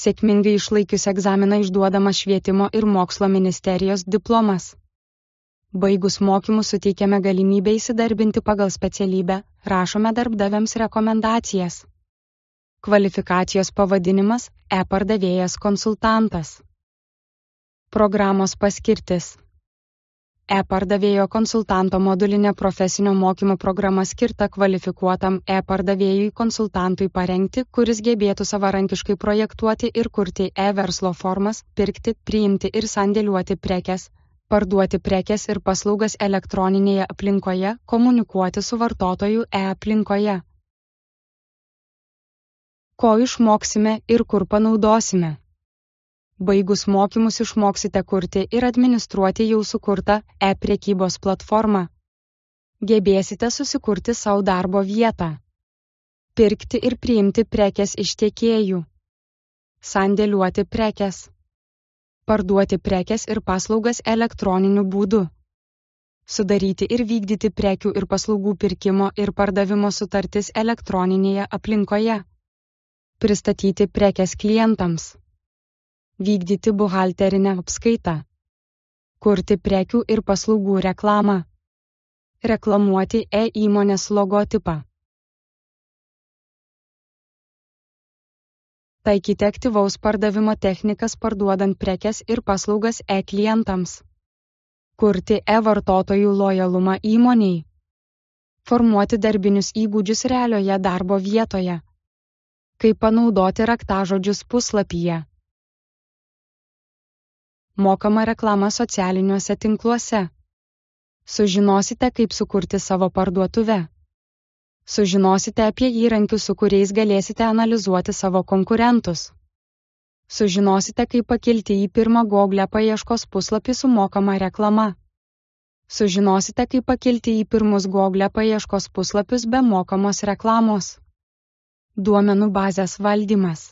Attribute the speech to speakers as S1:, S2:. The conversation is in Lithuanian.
S1: Sėkmingai išlaikius egzaminą išduodamas Švietimo ir mokslo ministerijos diplomas. Baigus mokymus suteikiame galimybę įsidarbinti pagal specialybę, rašome darbdaviams rekomendacijas. Kvalifikacijos pavadinimas – e-pardavėjas konsultantas. Programos paskirtis. E-pardavėjo konsultanto modulinė profesinio mokymo programa skirta kvalifikuotam e-pardavėjui konsultantui parengti, kuris gebėtų savarankiškai projektuoti ir kurti e-verslo formas, pirkti, priimti ir sandėliuoti prekes, parduoti prekes ir paslaugas elektroninėje aplinkoje, komunikuoti su vartotoju e-aplinkoje. Ko išmoksime ir kur panaudosime? Baigus mokymus išmoksite kurti ir administruoti jau sukurtą e-prekybos platformą. Gebėsite susikurti savo darbo vietą. Pirkti ir priimti prekes iš tiekėjų. Sandėliuoti prekes. Parduoti prekes ir paslaugas elektroniniu būdu. Sudaryti ir vykdyti prekių ir paslaugų pirkimo ir pardavimo sutartis elektroninėje aplinkoje. Pristatyti prekes klientams. Vykdyti buhalterinę apskaitą. Kurti prekių ir paslaugų reklamą. Reklamuoti e-įmonės logotipą. Taikyti aktyvaus pardavimo technikas parduodant prekes ir paslaugas e-klientams. Kurti e-vartotojų lojalumą įmonei. Formuoti darbinius įgūdžius realioje darbo vietoje. Kaip panaudoti raktažodžius puslapyje. Mokama reklama socialiniuose tinkluose. Sužinosite, kaip sukurti savo parduotuvę. Sužinosite apie įrankius, su kuriais galėsite analizuoti savo konkurentus. Sužinosite, kaip pakilti į pirmą Google paieškos puslapį su mokama reklama. Sužinosite, kaip pakilti į pirmus Google paieškos puslapius be mokamos reklamos. Duomenų bazės valdymas.